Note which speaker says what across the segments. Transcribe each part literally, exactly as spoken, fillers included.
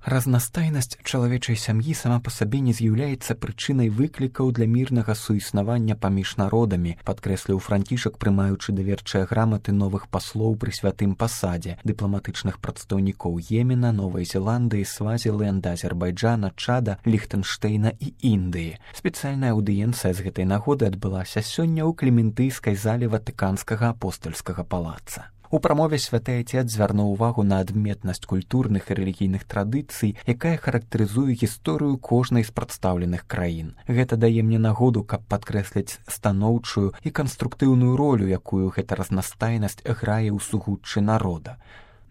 Speaker 1: Разнастайнасць чалавечай сям'і сама па сабе не з'яўляецца прычынай выклікаў для мірнага суіснавання паміж народамі, падкрэсліў Францішак, прымаючы даверчыя граматы новых паслоў пры святым пасадзе, дыпламатычных прадстаўнікоў Йемена, Новай Зеландыі, Свазіленда, Азербайджана, Чада, Ліхтэнштэйна і Індыі. Спецыяльная аўдыенцыя з гэтай нагоды адбылася сёння ў Клементыйскай зале Ватыканскага апостальскага палаца. У прамове святы Айцец звярнуў увагу на адметнасць культурных і рэлігійных традыцый, якая характарызуе гісторыю кожнай з прадстаўленых краін. Гэта дае мне нагоду, каб падкрэсліць станоўчую і канструктыўную ролю, якую гэта разнастайнасць грае ў сугуччы народа.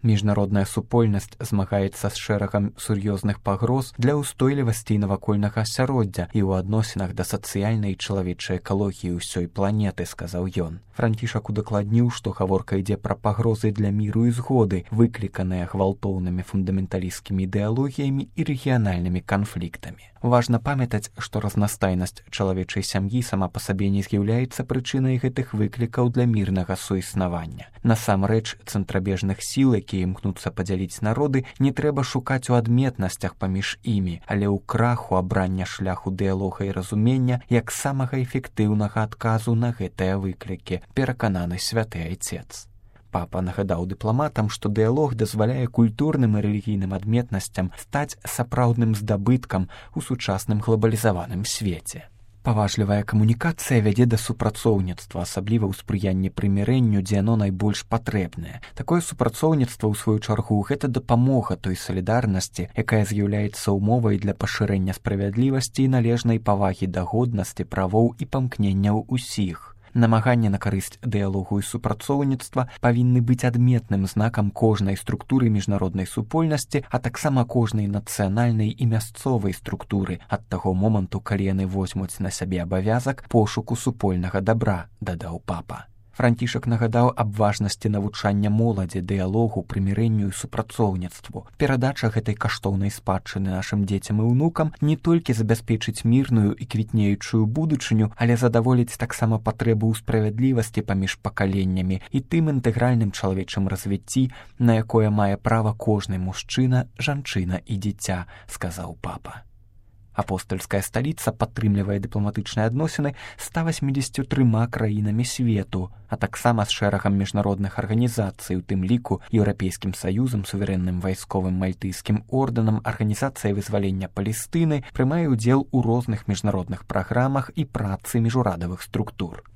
Speaker 1: Міжнародная супольнасць змагаецца з шэрагам сур'ёзных пагроз для ўстойлівасці навакольнага асяроддзя і ў адносінах да сацыяльнай і чалавечай экалогіі ўсёй планеты, сказаў ён. Францішак удакладніў, што гаворка ідзе пра пагрозы для міру і згоды, выкліканыя гвалтоўнымі фундаменталісцкімі ідэалогіямі і рэгіянальнымі канфліктамі. Важна памятаць, што разнастайнасць чалавечай сям'і сама па сабе не з'яўляецца прычынай гэтых выклікаў для мірнага суіснавання. Насамрэч, цэнтрабежных сіл, якія імкнуцца падзяліць народы, не трэба шукаць у адметнасцях паміж імі, але ў краху абрання шляху дыялога і разумення як самага эфектыўнага адказу на гэтыя выклікі, перакананы святы Айцец. Папа нагадаў дыпламатам, што дыялог дазваляе культурным і рэлігійным адметнасцям стаць сапраўдным здабыткам у сучасным глобалізаваным свеце. Паважлівая камунікацыя вядзе да супрацоўніцтва, асабліва ў спрыянні прымірэнню, дзе яно найбольш патрэбнае. Такое супрацоўніцтва, ў сваю чаргу, гэта дапамога той салідарнасці, якая з'яўляецца ўмовай для пашырэння справядлівасці і належнай павагі да годнасці, правоў і памкненняў усіх. Намаганне на карысць дыялогу і супрацоўніцтва павінны быць адметным знакам кожнай структуры міжнароднай супольнасці, а таксама кожнай нацыянальнай і мясцовай структуры ад таго моманту, калі яны возьмуць на сябе абавязак пошуку супольнага дабра, дадаў папа. Францішак нагадаў аб важнасці навучання моладзі, дыялогу, прымірэнню і супрацоўніцтву. Перадача гэтай каштоўнай спадчыны нашым дзецям і ўнукам не толькі забяспечыць мірную і квітнеючую будучыню, але задаволіць таксама патрэбу ў справядлівасці паміж пакаленнямі і тым інтэгральным чалавечым развіцці, на якое мае права кожны мужчына, жанчына і дзіця, сказаў папа. Апостальская сталіца падтрымлівае дыпламатычныя адносіны з ста васьмідзесятю трыма краінамі свету, а таксама з шэрагам міжнародных арганізацый, у тым ліку Еўрапейскім саюзам, суверэнным вайсковым мальтыйскім ордэнам, арганізацыя вызвалення Палестыны, прымае ўдзел у розных міжнародных праграмах і працы міжурадавых структур.